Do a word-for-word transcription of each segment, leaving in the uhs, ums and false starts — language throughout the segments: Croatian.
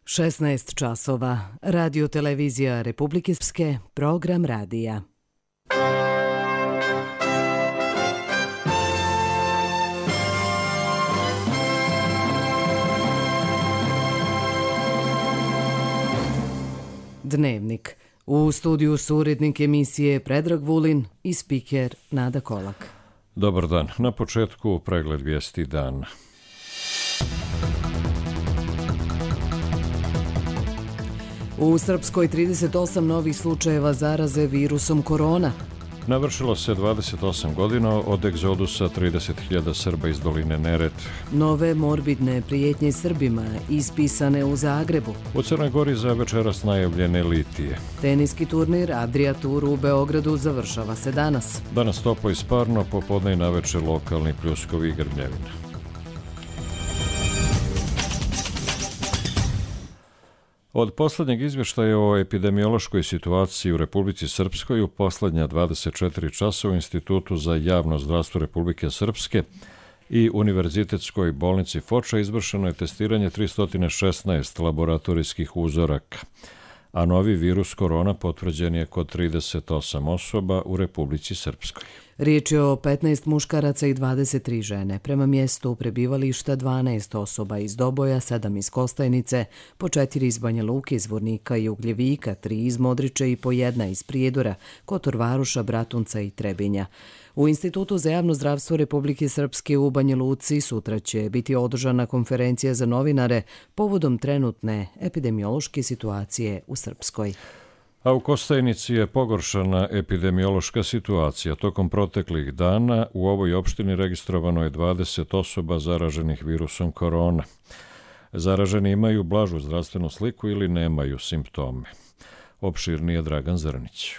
šesnaest časova. Radio televizija Republike Srpske, program radija. Dnevnik. U studiju su urednik emisije Predrag Vulin i spiker Nada Kolak. Dobar dan. Na početku pregled vijesti dana. U Srpskoj trideset osam novih slučajeva zaraze virusom korona. Navršilo se dvadeset osam godina od egzodusa trideset hiljada Srba iz doline Neretve. Nove morbidne prijetnje Srbima ispisane u Zagrebu. U Crnoj Gori za večeras najavljene litije. Teniski turnir Adria Tour u Beogradu završava se danas. Danas toplo i sparno, popodne i navečer lokalni pljuskovi i grmljevina. Od posljednjeg izvještaja o epidemiološkoj situaciji u Republici Srpskoj u posljednja dvadeset četiri časa u Institutu za javno zdravstvo Republike Srpske i Univerzitetskoj bolnici Foča izvršeno je testiranje tristo šesnaest laboratorijskih uzoraka, a novi virus korona potvrđen je kod trideset osam osoba u Republici Srpskoj. Riječ je o petnaest muškaraca i dvadeset tri žene. Prema mjestu prebivališta dvanaest osoba iz Doboja, sedam iz Kostajnice, po četiri iz Banja Luke, iz Vornika i Ugljevika, tri iz Modriče i po jedna iz Prijedora, Kotor Varoša, Bratunca i Trebinja. U Institutu za javno zdravstvo Republike Srpske u Banja Luci sutra će biti održana konferencija za novinare povodom trenutne epidemiološke situacije u Srpskoj. A u Kostajnici je pogoršana epidemiološka situacija. Tokom proteklih dana u ovoj opštini registrovano je dvadeset osoba zaraženih virusom korona. Zaraženi imaju blažu zdravstvenu sliku ili nemaju simptome. Opširnije Dragan Zrnić.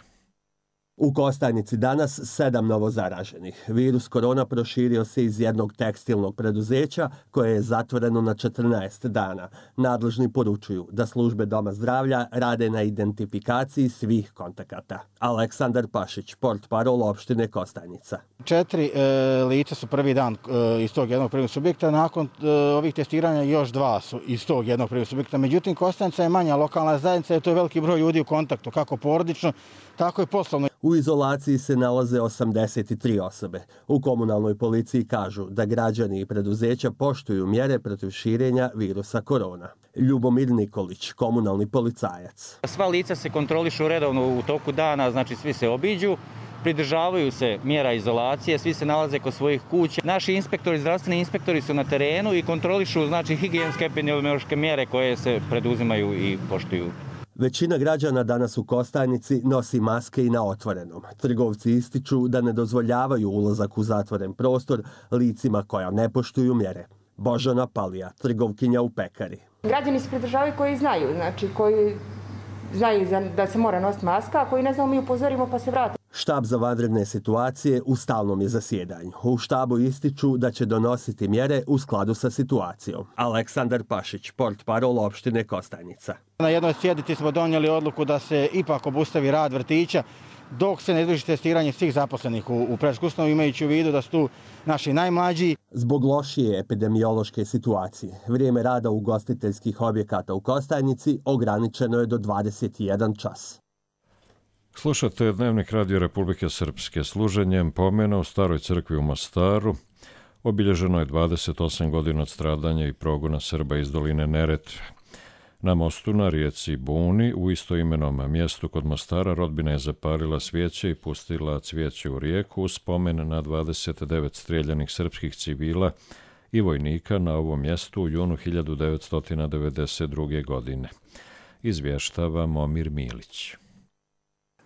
U Kostajnici danas sedam novozaraženih. Virus korona proširio se iz jednog tekstilnog preduzeća koje je zatvoreno na četrnaest dana. Nadležni poručuju da službe Doma zdravlja rade na identifikaciji svih kontakata. Aleksandar Pašić, portparol opštine Kostajnica. Četiri e, lica su prvi dan e, iz tog jednog prvog subjekta, nakon e, ovih testiranja još dva su iz tog jednog prvog subjekta. Međutim, Kostajnica je manja lokalna zajednica i to je veliki broj ljudi u kontaktu, kako porodično, tako i poslovno. U izolaciji se nalaze osamdeset tri osobe. U komunalnoj policiji kažu da građani i preduzeća poštuju mjere protiv širenja virusa korona. Ljubomir Nikolić, komunalni policajac. Sva lica se kontrolišu redovno u toku dana, znači svi se obiđu, pridržavaju se mjera izolacije, svi se nalaze kod svojih kuća. Naši inspektori, zdravstveni inspektori su na terenu i kontrolišu znači higijenske epidemiološke mjere koje se preduzimaju i poštuju. Većina građana danas u Kostajnici nosi maske i na otvorenom. Trgovci ističu da ne dozvoljavaju ulazak u zatvoren prostor licima koja ne poštuju mjere. Božana Palija, trgovkinja u pekari. Građani se pridržavaju koji znaju, znači koji znaju da se mora nositi maska, a koji ne znamo mi upozorimo pa se vrati. Štab za vanredne situacije u stalnom je zasjedanju. U štabu ističu da će donositi mjere u skladu sa situacijom. Aleksandar Pašić, portparol opštine Kostajnica. Na jednoj sjednici smo donijeli odluku da se ipak obustavi rad vrtića dok se ne izvrši testiranje svih zaposlenih u, u predškolskoj ustanovi, imajući u vidu da su tu naši najmlađi. Zbog lošije epidemiološke situacije, vrijeme rada ugostiteljskih objekata u Kostajnici ograničeno je do dvadeset jedan čas. Slušate Dnevnik Radio Republike Srpske. Služenjem pomena u Staroj crkvi u Mostaru obilježeno je dvadeset osam godina od stradanja i progona Srba iz doline Neretve. Na mostu na rijeci Buni, u istoimenom mjestu kod Mostara, rodbina je zapalila svijeće i pustila cvijeće u rijeku u spomen na dvadeset devet strijeljanih srpskih civila i vojnika na ovom mjestu u junu hiljadu devetsto devedeset druge. godine. Izvještava Momir Milić.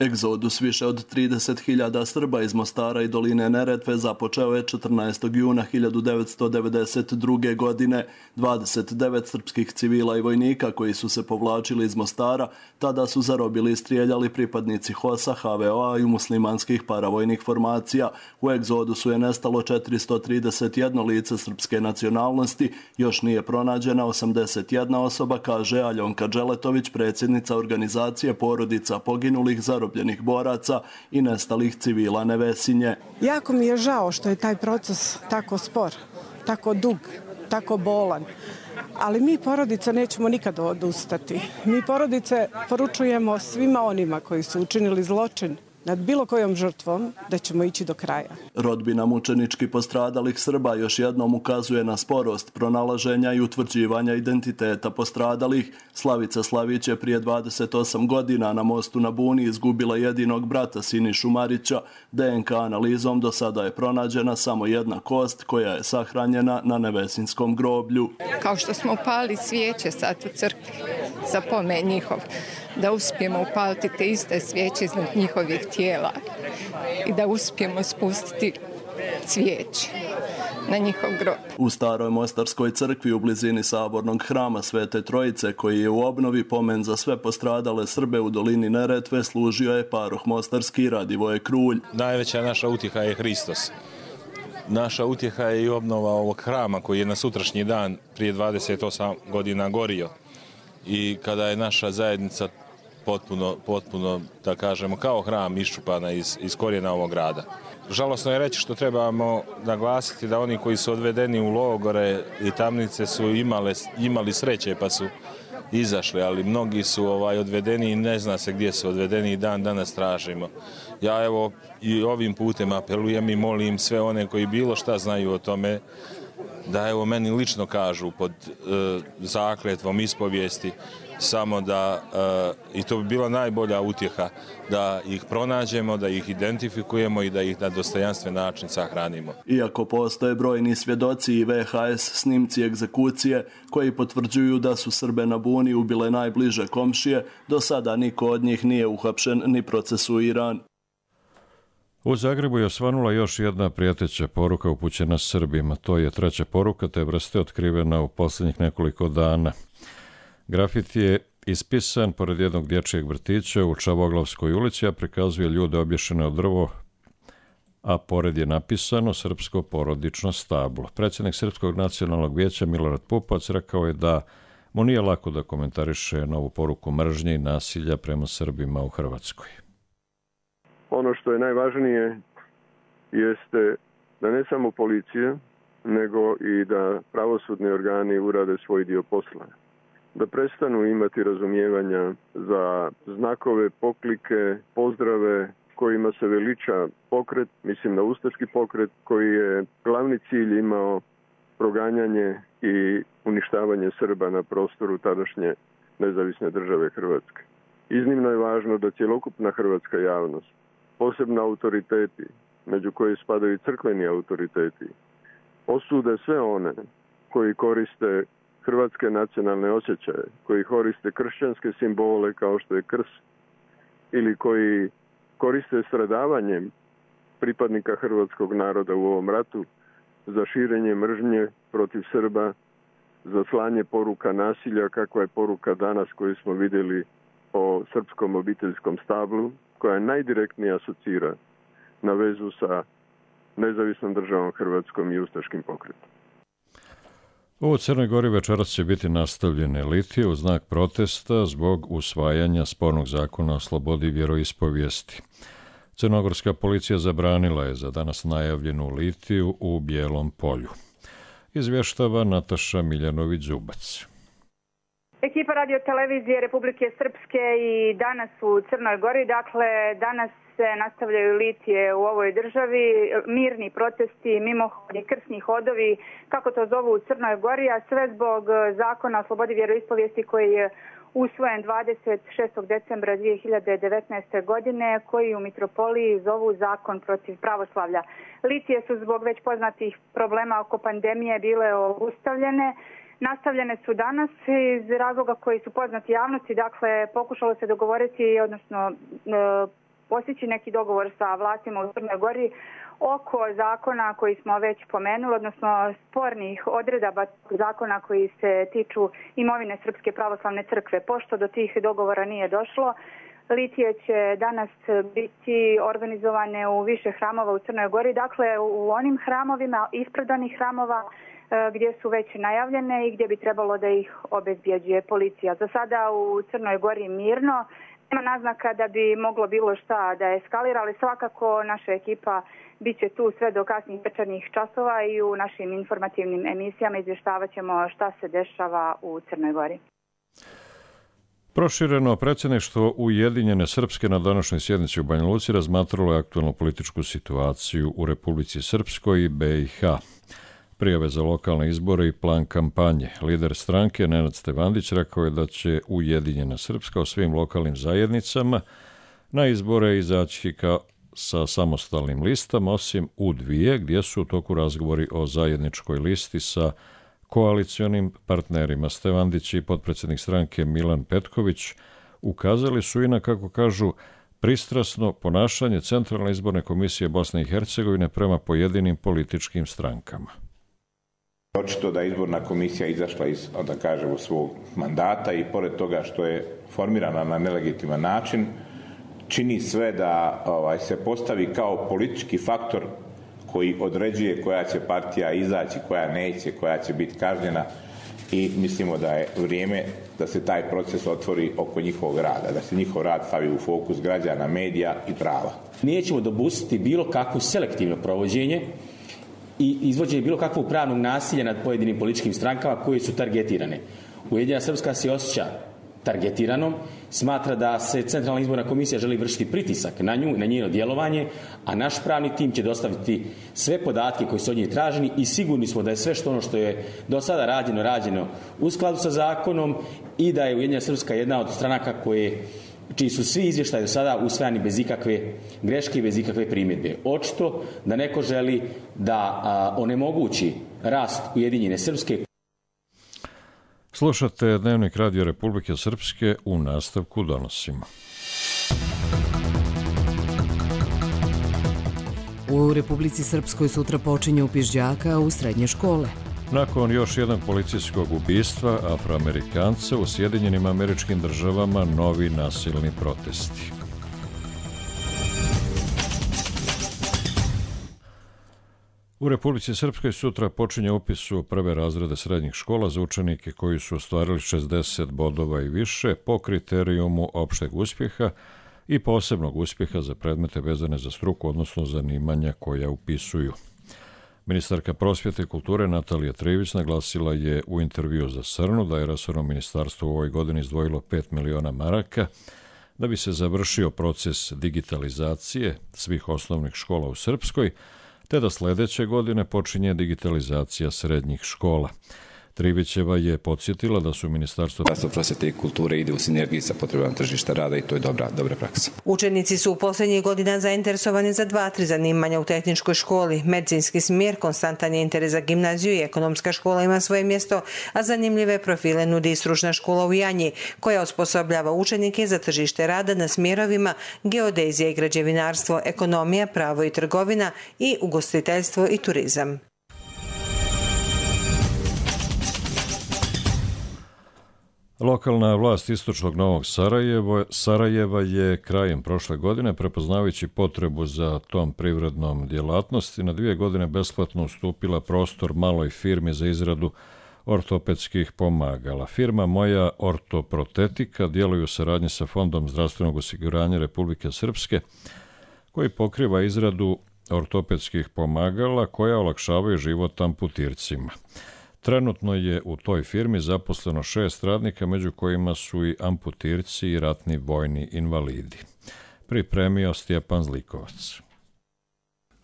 Egzodus više od trideset hiljada Srba iz Mostara i doline Neretve započeo je četrnaestog juna hiljadu devetsto devedeset druge. godine. dvadeset devet srpskih civila i vojnika koji su se povlačili iz Mostara tada su zarobili i strijeljali pripadnici H O S-a, H V O-a i muslimanskih paravojnih formacija. U egzodusu je nestalo četiristo trideset jedno lice srpske nacionalnosti, još nije pronađena osamdeset jedna osoba, kaže Aljonka Dželetović, predsjednica organizacije porodica poginulih, zarobljenih boraca i nestalih civila Nevesinje. Jako mi je žao što je taj proces tako spor, tako dug tako bolan. Ali mi porodica nećemo nikad odustati. Mi porodice poručujemo svima onima koji su učinili zločin nad bilo kojom žrtvom da ćemo ići do kraja. Rodbina mučenički postradalih Srba još jednom ukazuje na sporost pronalaženja i utvrđivanja identiteta postradalih. Slavica Slavić je prije dvadeset osam godina na mostu na Buni izgubila jedinog brata Sinišu Marića. D N K analizom do sada je pronađena samo jedna kost koja je sahranjena na Nevesinskom groblju. Kao što smo upali svijeće sad u crkvi za pomen njihov, da uspijemo upaliti te iste svijeće iznad njihovih tijela i da uspijemo spustiti cvijeće na njihov grob. U staroj Mostarskoj crkvi u blizini sabornog hrama Svete Trojice, koji je u obnovi pomen za sve postradale Srbe u dolini Neretve, služio je paroh mostarski Radivoje Krulj. Najveća naša utjeha je Hristos. Naša utjeha je i obnova ovog hrama koji je na sutrašnji dan prije dvadeset osam godina gorio. I kada je naša zajednica potpuno, potpuno da kažemo, kao hram iščupana iz, iz korijena ovog grada. Žalosno je reći što trebamo naglasiti da oni koji su odvedeni u logore i tamnice su imale, imali sreće pa su izašli, ali mnogi su ovaj, odvedeni i ne zna se gdje su odvedeni i dan danas tražimo. Ja evo i ovim putem apelujem i molim sve one koji bilo šta znaju o tome da evo meni lično kažu pod e, zakletvom ispovijesti samo da, e, i to bi bila najbolja utjeha, da ih pronađemo, da ih identifikujemo i da ih na dostojanstven način sahranimo. Iako postoje brojni svjedoci i V H S snimci egzekucije koji potvrđuju da su Srbe na Buni ubile najbliže komšije, do sada niko od njih nije uhapšen ni procesuiran. U Zagrebu je osvanula još jedna prijeteća poruka upućena Srbima. To je treća poruka te vrste otkrivena u posljednjih nekoliko dana. Grafit je ispisan pored jednog dječjeg vrtića u Čavoglavskoj ulici, a prikazuje ljude obješene od drvo, a pored je napisano srpsko porodično stablo. Predsjednik Srpskog nacionalnog vijeća Milorad Pupovac rekao je da mu nije lako da komentariše novu poruku mržnje i nasilja prema Srbima u Hrvatskoj. Ono što je najvažnije jeste da ne samo policija, nego i da pravosudni organi urade svoj dio posla. Da prestanu imati razumijevanja za znakove, poklike, pozdrave kojima se veliča pokret, mislim na ustaški pokret, koji je glavni cilj imao proganjanje i uništavanje Srba na prostoru tadašnje nezavisne države Hrvatske. Iznimno je važno da cjelokupna hrvatska javnost, posebno autoriteti, među koje spadaju crkveni autoriteti, osude sve one koji koriste hrvatske nacionalne osjećaje, koji koriste kršćanske simbole kao što je krst ili koji koriste stradavanjem pripadnika hrvatskog naroda u ovom ratu za širenje mržnje protiv Srba, za slanje poruka nasilja, kakva je poruka danas koju smo vidjeli o srpskom obiteljskom stablu, koja najdirektnije asocira na vezu sa nezavisnom državom Hrvatskom i ustaškim pokretom. U Crnoj Gori večeras će biti nastavljene litije u znak protesta zbog usvajanja spornog zakona o slobodi vjeroispovijesti. Crnogorska policija zabranila je za danas najavljenu litiju u Bijelom polju. Izvještava Nataša Miljanović-Zubac. Ekipa radio televizije Republike Srpske i danas u Crnoj Gori, dakle danas se nastavljaju litije u ovoj državi, mirni protesti, mimohodi, krsni hodovi, kako to zovu u Crnoj Gori, a sve zbog zakona o slobodi vjeroispovijesti koji je usvojen dvadeset šestog decembra dvije hiljade devetnaeste. godine, koji u mitropoliji zovu zakon protiv pravoslavlja. Litije su zbog već poznatih problema oko pandemije bile obustavljene. Nastavljene su danas iz razloga koji su poznati javnosti, dakle pokušalo se dogovoriti, odnosno e, postići neki dogovor sa vlastima u Crnoj Gori oko zakona koji smo već pomenuli, odnosno spornih odredaba zakona koji se tiču imovine Srpske pravoslavne crkve. Pošto do tih dogovora nije došlo, litije će danas biti organizovane u više hramova u Crnoj Gori, dakle u onim hramovima, ispredanih hramova, gdje su već najavljene i gdje bi trebalo da ih obezbjeđuje policija. Za sada u Crnoj Gori mirno, Nema naznaka da bi moglo bilo šta da eskalira, ali svakako naša ekipa bit će tu sve do kasnih večernjih časova i u našim informativnim emisijama izvještavat ćemo šta se dešava u Crnoj Gori. Prošireno predsjedništvo Ujedinjene Srpske na današnjoj sjednici u Banja Luci razmatralo je aktualnu političku situaciju u Republici Srpskoj i be i ha. Prijave za lokalne izbore i plan kampanje. Lider stranke Nenad Stevandić rekao je da će Ujedinjena Srpska u svim lokalnim zajednicama na izbore izaći kao sa samostalnim listama, osim u dvije, gdje su u toku razgovori o zajedničkoj listi sa koalicionim partnerima. Stevandić i potpredsjednik stranke Milan Petković ukazali su i na, kako kažu, pristrasno ponašanje Centralne izborne komisije Bosne i Hercegovine prema pojedinim političkim strankama. Očito da je izborna komisija izašla iz, da kažemo, svog mandata i pored toga što je formirana na nelegitiman način, čini sve da ovaj, se postavi kao politički faktor koji određuje koja će partija izaći, koja neće, koja će biti kažnjena i mislimo da je vrijeme da se taj proces otvori oko njihovog rada, da se njihov rad stavi u fokus građana, medija i prava. Nećemo dopustiti bilo kakvo selektivno provođenje i izvođenje bilo kakvog pravnog nasilja nad pojedinim političkim strankama koje su targetirane. Ujedinjena Srpska se osjeća targetiranom, smatra da se Centralna izborna komisija želi vršiti pritisak na nju, na njeno djelovanje, a naš pravni tim će dostaviti sve podatke koji su od nje traženi i sigurni smo da je sve što ono što je do sada rađeno, rađeno u skladu sa zakonom i da je Ujedinjena Srpska jedna od stranaka koje, čiji su svi izvještaji do sada usvajani bez ikakve greške i bez ikakve primjedbe. Očito da neko želi da a, onemogući rast Ujedinjene Srpske. Slušate Dnevnik Radio Republike Srpske, u nastavku donosimo. U Republici Srpskoj sutra počinje upis đaka u srednje škole. Nakon još jednog policijskog ubistva Afroamerikanca u Sjedinjenim Američkim Državama novi nasilni protesti. U Republici Srpskoj sutra počinje upis u prve razrede srednjih škola za učenike koji su ostvarili šezdeset bodova i više po kriterijumu opšteg uspjeha i posebnog uspjeha za predmete vezane za struku, odnosno zanimanja koja upisuju. Ministarka prosvjete i kulture Natalija Trivić naglasila je u intervju za Srnu da je resorno ministarstvo u ovoj godini izdvojilo pet miliona maraka da bi se završio proces digitalizacije svih osnovnih škola u Srpskoj, te da sljedeće godine počinje digitalizacija srednjih škola. Trivićeva je podsjetila da su Ministarstvo prosvjete i kulture ide u sinergiji sa potrebama tržišta rada i to je dobra, dobra praksa. Učenici su u posljednjih godina zainteresovani za dva, tri zanimanja u tehničkoj školi. Medicinski smjer, konstantan je interes za gimnaziju i ekonomska škola ima svoje mjesto, a zanimljive profile nudi i stručna škola u Janji, koja osposobljava učenike za tržište rada na smjerovima geodezija i građevinarstvo, ekonomija, pravo i trgovina i ugostiteljstvo i turizam. Lokalna vlast istočnog Novog Sarajeva, Sarajeva je krajem prošle godine, prepoznavajući potrebu za tom privrednom djelatnosti, na dvije godine besplatno ustupila prostor maloj firmi za izradu ortopedskih pomagala. Firma Moja ortoprotetika djeluje u saradnji sa Fondom zdravstvenog osiguranja Republike Srpske, koji pokriva izradu ortopedskih pomagala koja olakšavaju život amputircima. Trenutno je u toj firmi zaposleno šest radnika, među kojima su i amputirci i ratni vojni invalidi. Pripremio Stjepan Zlikovac.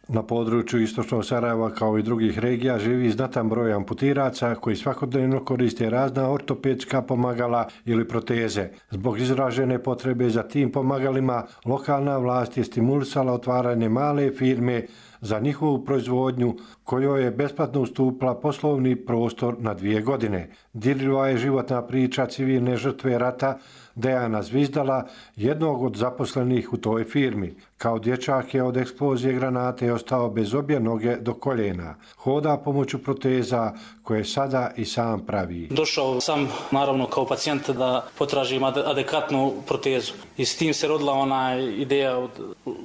Na području istočnog Sarajeva kao i drugih regija živi znatan broj amputiraca koji svakodnevno koriste razna ortopedska pomagala ili proteze. Zbog izražene potrebe za tim pomagalima, lokalna vlast je stimulisala otvaranje male firme za njihovu proizvodnju, kojoj je besplatno ustupila poslovni prostor na dvije godine. Dirljiva je životna priča civilne žrtve rata Dejana Zvizdala, jednog od zaposlenih u toj firmi. Kao dječak je od eksplozije granate ostao bez obje noge do koljena. Hoda pomoću proteza koje sada i sam pravi. Došao sam naravno kao pacijent da potražim adekvatnu protezu. I s tim se rodila ona ideja od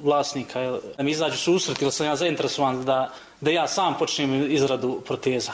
vlasnika da mi izađu susret, jer sam ja zainteresovan da da ja sam počnem izradu proteza.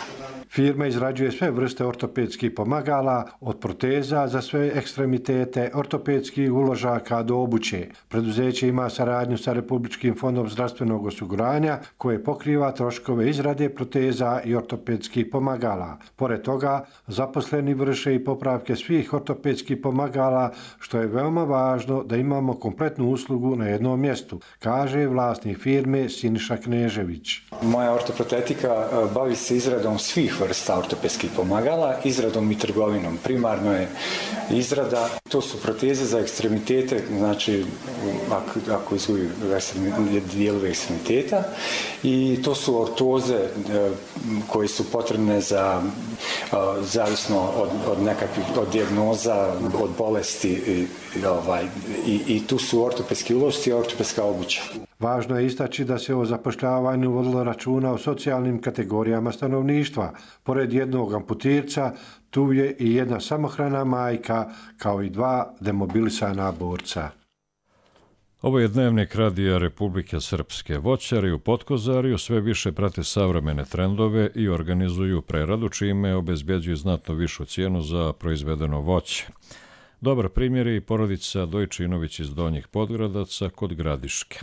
Firma izrađuje sve vrste ortopedskih pomagala, od proteza za sve ekstremitete, ortopedskih uložaka do obuće. Preduzeće ima saradnju sa Republičkim fondom zdravstvenog osiguranja koje pokriva troškove izrade proteza i ortopedskih pomagala. Pored toga, zaposleni vrše i popravke svih ortopedskih pomagala, što je veoma važno da imamo kompletnu uslugu na jednom mjestu, kaže vlasnik firme Siniša Knežević. Moja ortoprotetika bavi se izradom svih vrsta ortopedskih pomagala, izradom i trgovinom. Primarno je izrada, to su proteze za ekstremitete, znači ako, ako izgubi dijelove ekstremiteta, i to su ortoze koje su potrebne za zavisno od, od nekakvih od dijagnoza, od bolesti i, ovaj, i, i tu su ortopedski ulošci i ortopedska obuća. Važno je istaći da se o zapošljavanju vodilo računa o socijalnim kategorijama stanovništva. Pored jednog amputirca, tu je i jedna samohrana majka, kao i dva demobilisana borca. Ovo je dnevnik Radija Republike Srpske. Voćari u Potkozariju sve više prate savremene trendove i organizuju preradu, čime obezbjeđuju znatno višu cijenu za proizvedeno voće. Dobar primjer je i porodica Dojčinović iz Donjih Podgradaca kod Gradiške.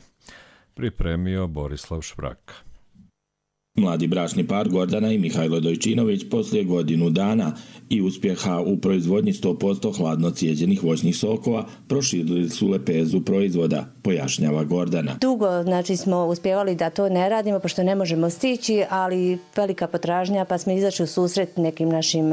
Pripremio Borislav Švraka. Mladi bračni par Gordana i Mihajlo Dojčinović poslije godinu dana i uspjeha u proizvodnji sto posto hladno cijeđenih voćnih sokova proširili su lepezu proizvoda, pojašnjava Gordana. Dugo znači, smo uspjevali da to ne radimo, pošto ne možemo stići, ali velika potražnja, pa smo izašli u susret nekim našim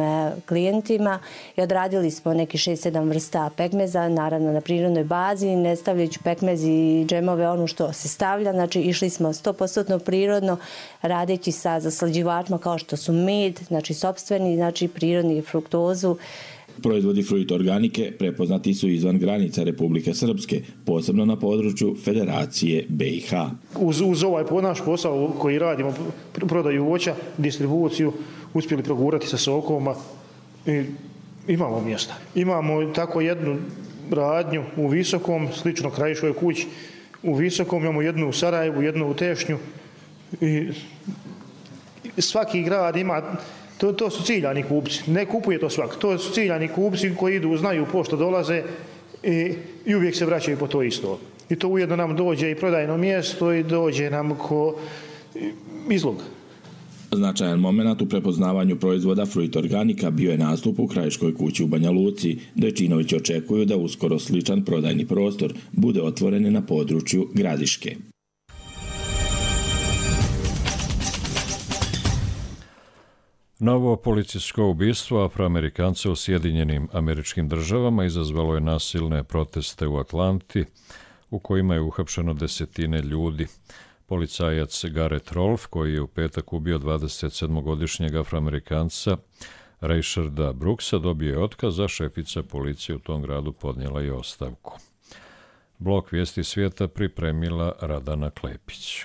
klijentima i odradili smo neki šest sedam vrsta pekmeza, naravno na prirodnoj bazi, ne stavljajući pekmez i džemove ono što se stavlja. Znači išli smo sto posto prirodno, radeći sa zaslađivačima kao što su med, znači sopstveni, znači prirodni fruktozu. Proizvodi Fruit Organike prepoznati su izvan granica Republike Srpske, posebno na području Federacije B i H. Uz, uz ovaj naš posao koji radimo, prodaju voća, distribuciju, uspjeli progurati sa sokovima i imamo mjesta. Imamo tako jednu radnju u Visokom, slično Krajiškoj kući, u Visokom imamo jednu u Sarajevu, jednu u Tešnju i svaki grad ima. To, to su ciljani kupci. Ne kupuje to svak. To su ciljani kupci koji idu, znaju pošto dolaze i, i uvijek se vraćaju po to isto. I to ujedno nam dođe i prodajno mjesto i dođe nam ko izlog. Značajan moment u prepoznavanju proizvoda Fruit Organika bio je nastup u Krajiškoj kući u Banja Luci. Dojčinović očekuju da uskoro sličan prodajni prostor bude otvoren na području Gradiške. Novo policijsko ubistvo Afroamerikanca u Sjedinjenim Američkim Državama izazvalo je nasilne proteste u Atlanti, u kojima je uhapšeno desetine ljudi. Policajac Garrett Rolfe, koji je u petak ubio dvadesetsedmogodišnjeg Afroamerikanca Raysharda Brooksa, dobio je otkaz, a šefica policije u tom gradu podnijela i ostavku. Blok Vijesti svijeta pripremila Radana Klepić.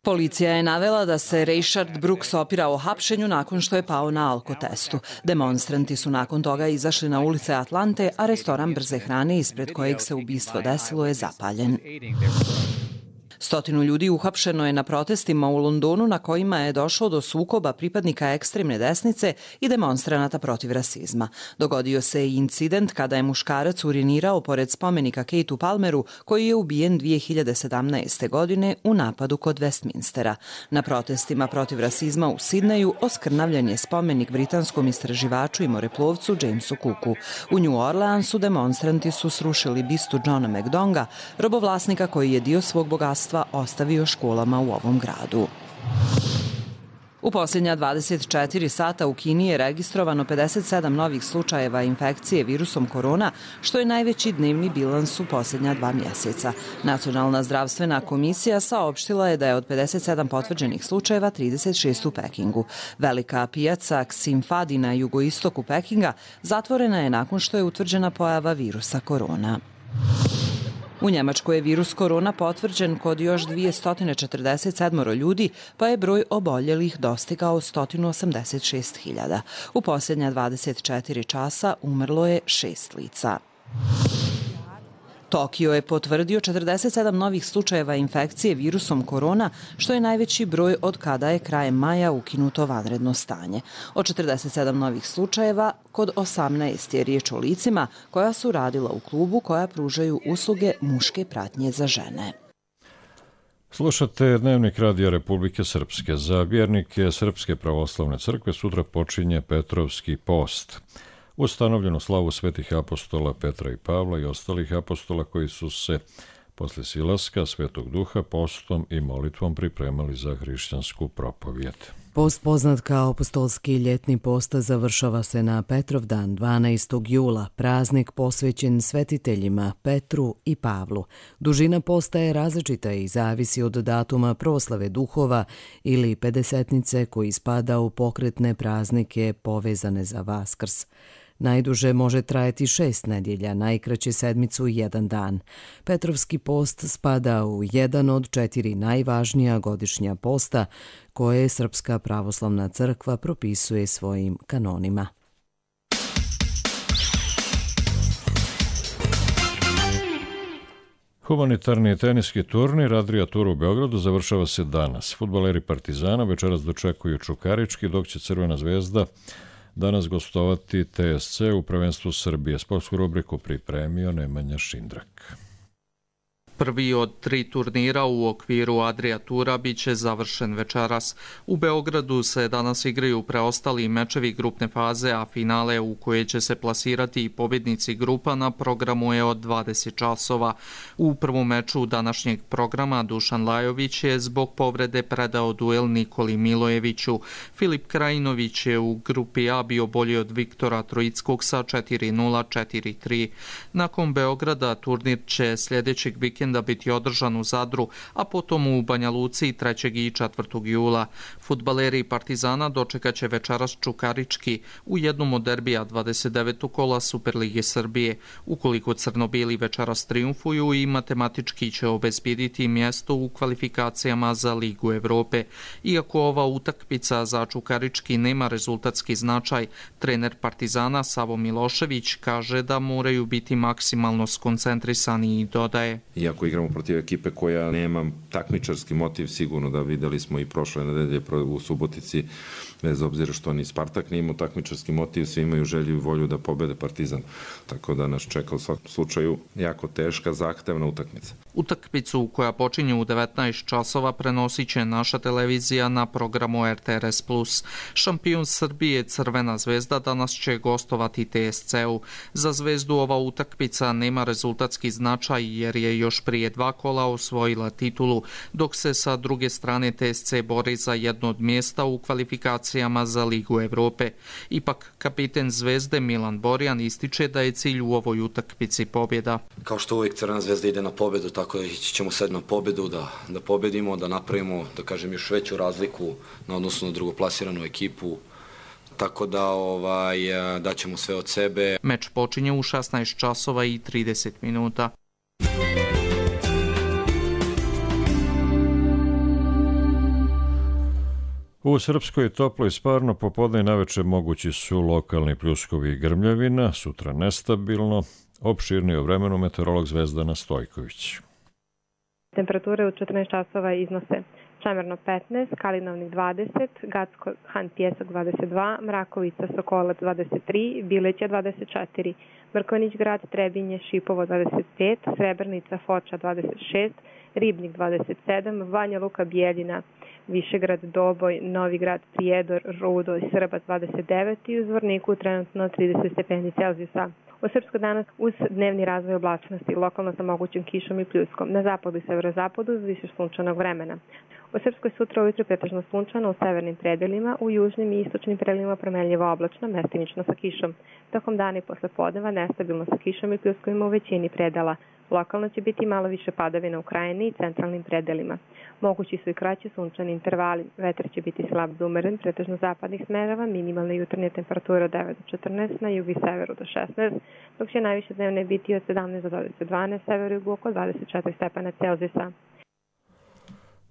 Policija je navela da se Rayshard Brooks opirao hapšenju nakon što je pao na alkotestu. Demonstranti su nakon toga izašli na ulice Atlante, a restoran brze hrane ispred kojeg se ubistvo desilo je zapaljen. Stotinu ljudi uhapšeno je na protestima u Londonu na kojima je došlo do sukoba pripadnika ekstremne desnice i demonstranata protiv rasizma. Dogodio se i incident kada je muškarac urinirao pored spomenika Kateu Palmeru, koji je ubijen dvije hiljade sedamnaeste. godine u napadu kod Westminstera. Na protestima protiv rasizma u Sidneju oskrnavljen je spomenik britanskom istraživaču i moreplovcu Jamesu Cooku. U New Orleansu demonstranti su srušili bistu Johna McDonga, robovlasnika koji je dio svog bogatstva ostavio školama u ovom gradu. U posljednja dvadeset četiri sata u Kini je registrovano pedeset sedam novih slučajeva infekcije virusom korona, što je najveći dnevni bilans u posljednja dva mjeseca. Nacionalna zdravstvena komisija saopštila je da je od pedeset sedam potvrđenih slučajeva trideset šest u Pekingu. Velika pijaca Xinfadi na jugoistoku Pekinga zatvorena je nakon što je utvrđena pojava virusa korona. U Njemačkoj je virus korona potvrđen kod još dvjesto četrdeset sedam ljudi, pa je broj oboljelih dostigao sto osamdeset šest hiljada. U posljednja dvadeset četiri časa umrlo je šest lica. Tokio je potvrdio četrdeset sedam novih slučajeva infekcije virusom korona, što je najveći broj od kada je krajem maja ukinuto vanredno stanje. Od četrdeset sedam novih slučajeva, kod osamnaest je riječ o licima koja su radila u klubu koja pružaju usluge muške pratnje za žene. Slušate Dnevnik Radija Republike Srpske. Za vjernike Srpske pravoslavne crkve sutra počinje Petrovski post. Ustanovljenu slavu svetih apostola Petra i Pavla i ostalih apostola koji su se posle silaska Svetog Duha postom i molitvom pripremali za hrišćansku propovijed. Post poznat kao apostolski ljetni post završava se na Petrov dan dvanaestog jula, praznik posvećen svetiteljima Petru i Pavlu. Dužina posta je različita i zavisi od datuma proslave duhova ili pedesetnice koji spada u pokretne praznike povezane za Vaskrs. Najduže može trajati šest nedjelja, najkraće sedmicu i jedan dan. Petrovski post spada u jedan od četiri najvažnija godišnja posta koje Srpska pravoslavna crkva propisuje svojim kanonima. Humanitarni teniski turnir Adria Tour u Beogradu završava se danas. Fudbaleri Partizana večeras dočekuju Čukarički, dok će Crvena zvezda danas gostovati T S C u prvenstvu Srbije. Sportsku rubriku pripremio Nemanja Šindrak. Prvi od tri turnira u okviru Adria Tura biće završen večeras. U Beogradu se danas igraju preostali mečevi grupne faze, a finale u koje će se plasirati i pobjednici grupa na programu je od dvadeset časova. U prvom meču današnjeg programa Dušan Lajović je zbog povrede predao duel Nikoli Milojeviću. Filip Krajinović je u grupi A bio bolji od Viktora Trojickog sa četiri nula četiri tri. Nakon Beograda turnir će sljedećeg vikenda da biti održan u Zadru, a potom u Banja Luci trećeg i četvrtog jula. Fudbaleri Partizana dočekat će večeras Čukarički u jednom od derbija dvadeset devetog kola Superlige Srbije. Ukoliko crno-bijeli večeras triumfuju i matematički će obezbjediti mjesto u kvalifikacijama za Ligu Evrope. Iako ova utakmica za Čukarički nema rezultatski značaj, trener Partizana Savo Milošević kaže da moraju biti maksimalno skoncentrisani i dodaje: Iako igramo protiv ekipe koja nema takmičarski motiv, sigurno da vidjeli smo i prošle nedelje u Subotici, bez obzira što ni Spartak nije imao takmičarski motiv, svi imaju želju i volju da pobede Partizan. Tako da nas čeka u svakom slučaju jako teška, zahtevna utakmica. Utakmicu koja počinje u devetnaest časova prenosit će naša televizija na programu R T R S plus. Šampion Srbije Crvena zvezda danas će gostovati T S C-u. Za zvezdu ova utakmica nema rezultatski značaj jer je još prije dva kola osvojila titulu, dok se sa druge strane T S C bori za jedno od mjesta u kvalifikacijama za Ligu Evrope. Ipak kapiten zvezde Milan Borjan ističe da je cilj u ovoj utakmici pobjeda. Kao što uvijek Crvena zvezda ide na pobjedu, tako da ići ćemo sad na pobjedu, da, da pobjedimo, da napravimo, da kažem, još veću razliku na odnosu na drugoplasiranu ekipu. Tako da ovaj, daćemo sve od sebe. Meč počinje u šesnaest časova i trideset minuta. U Srpskoj toploj sparno popodne i naveče mogući su lokalni pljuskovi i grmljavina, sutra nestabilno. Opširnije o vremenu meteorolog Zvezdana Stojković. Temperature u četrnaest časova iznose Čemerno petnaest, Kalinovnik dvadeset, Gacko Han Pjesak dvadeset dva, Mrakovica Sokolac dvadeset tri, Bileća dvadeset četiri, Mrkonjić Grad Trebinje Šipovo dvadeset pet, Srebrnica Foča dvadeset šest, Ribnik dvadeset sedam, Banja Luka Bijeljina, Višegrad Doboj, Novi Grad Prijedor, Rudo i Srbac dvadeset devet i u Zvorniku trenutno trideset stepeni Celzijusa. U Srpskoj danas uz dnevni razvoj oblačnosti, lokalno sa mogućim kišom i pljuskom, na zapadu i severozapadu uz više sunčanog vremena. U Srpskoj sutra ujutro pretežno sunčano u severnim predelima, u južnim i istočnim predelima promenljivo oblačno, mestimično sa kišom. Tokom dana i posle podneva nestabilno sa kišom i pljuskovima u većini predela. Lokalno će biti malo više padavina u krajini i centralnim predelima. Mogući su i kraći sunčani intervali. Vetar će biti slab do umeren, pretežno zapadnih smerova, minimalne jutarnje temperature od devet do četrnaest, na jugu i severu do šesnaest, dok će najviše dnevne biti od sedamnaest do dvadeset dva, severu i jugu oko dvadeset četiri stepena Celzijusa.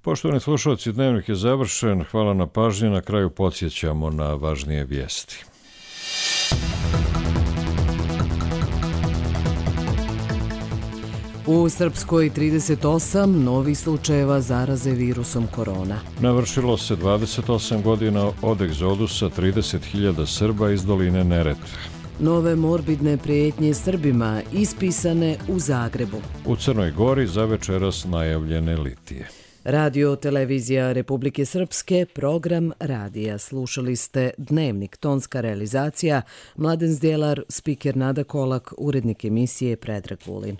Poštovani slušalci, dnevnik je završen. Hvala na pažnji. Na kraju podsjećamo na važnije vijesti. U Srpskoj trideset osam novih slučajeva zaraze virusom korona. Navršilo se dvadeset osam godina od egzodusa trideset hiljada Srba iz doline Neretve. Nove morbidne prijetnje Srbima ispisane u Zagrebu. U Crnoj Gori za večeras najavljene litije. Radio Televizija Republike Srpske, program radija. Slušali ste Dnevnik, tonska realizacija, Mladen Zdjelar, spiker Nada Kolak, urednik emisije Predrag Vulin.